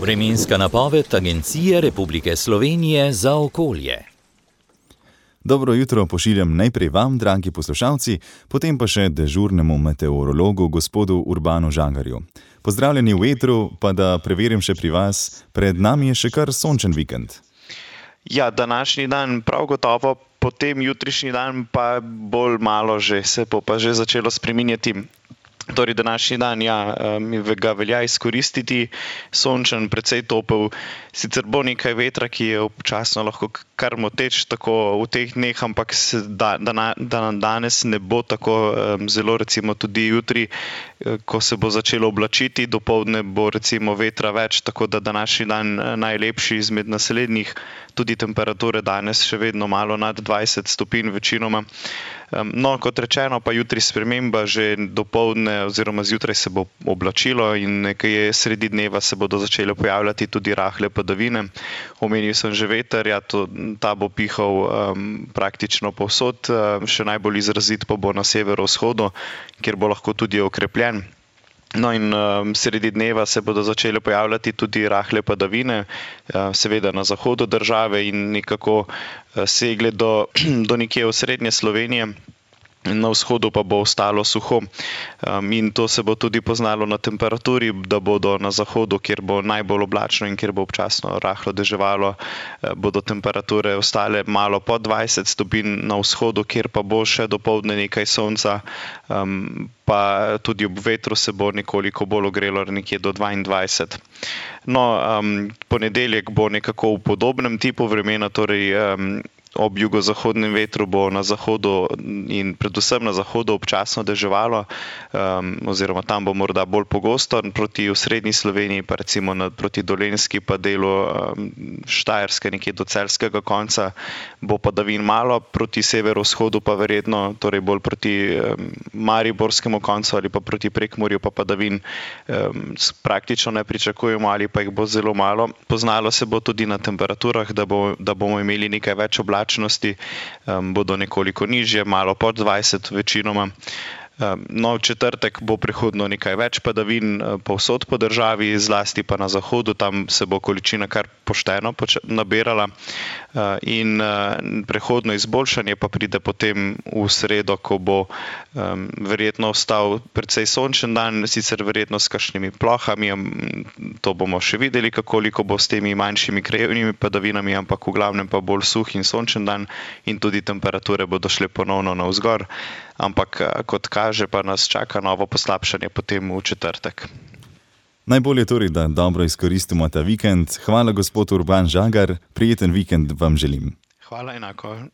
Vremenska napoved Agencije Republike Slovenije za okolje. Dobro jutro pošiljam najprej vam, dragi poslušalci, potem pa še dežurnemu meteorologu, gospodu Urbanu Žagarju. Pozdravljeni v etru, pa da preverim še pri vas, pred nami je še kar sončen vikend. Ja, današnji dan prav gotovo, potem jutrišnji dan pa bolj malo že, se bo pa že začelo spreminjati. Torej, današnji dan, ga velja izkoristiti, sončen, precej topel, sicer bo nekaj vetra, ki je občasno lahko kar moteč tako v teh dneh, ampak danes ne bo tako zelo, recimo tudi jutri, ko se bo začelo oblačiti, dopoldne bo recimo vetra več, tako da današnji dan najlepši izmed naslednjih, tudi temperature danes še vedno malo nad 20 stopinj večinoma. No, kot rečeno, pa jutri sprememba, že dopoldne oziroma zjutraj se bo oblačilo in nekaj sredi dneva se bodo začele pojavljati tudi rahle padavine. Omenil sem že veter, ta bo pihal praktično povsod, še najbolj izrazit pa bo na severovzhodu, kjer bo lahko tudi okrepljen. No in sredi dneva se bodo začele pojavljati tudi rahle padavine, seveda na zahodu države in nekako segle do nekje v srednje Slovenije. Na vzhodu pa bo ostalo suho in to se bo tudi poznalo na temperaturi, da bodo na zahodu, kjer bo najbolj oblačno in kjer bo občasno rahlo deževalo, bodo temperature ostale malo pod 20 stopinj, na vzhodu, kjer pa bo še dopoldne nekaj sonca, pa tudi ob vetru se bo nekoliko bolj ogrelo, nekje do 22. No, ponedeljek bo nekako v podobnem tipu vremena, torej ob jugozahodnem vetru bo na zahodu in predvsem na zahodu občasno deževalo, oziroma tam bo morda bolj pogosto, proti osrednji Sloveniji pa recimo proti Dolenjski pa delu Štajerske, nekje do celjskega konca, bo padavin malo, proti severovzhodu pa verjetno, torej bolj proti mariborskemu koncu ali pa proti Prekmurju pa padavin praktično ne pričakujemo ali pa jih bo zelo malo. Poznalo se bo tudi na temperaturah, da bomo imeli nekaj več oblačnosti, bodo nekoliko nižje, malo pod 20 večinoma. No, v četrtek bo prihodno nekaj več padavin povsod po državi, zlasti pa na zahodu, tam se bo količina kar pošteno nabirala in prehodno izboljšanje pa pride potem v sredo, ko bo verjetno ostal precej sončen dan, sicer verjetno s kakšnimi plohami, to bomo še videli, koliko bo s temi manjšimi krajevnimi padavinami, ampak v glavnem pa bolj suh in sončen dan in tudi temperature bodo šle ponovno navzgor, ampak kot kaže, pa nas čaka novo poslabšanje potem v četrtek. Najbolje torej, da dobro izkoristimo ta vikend. Hvala, gospod Urban Žagar, prijeten vikend vam želim. Hvala enako.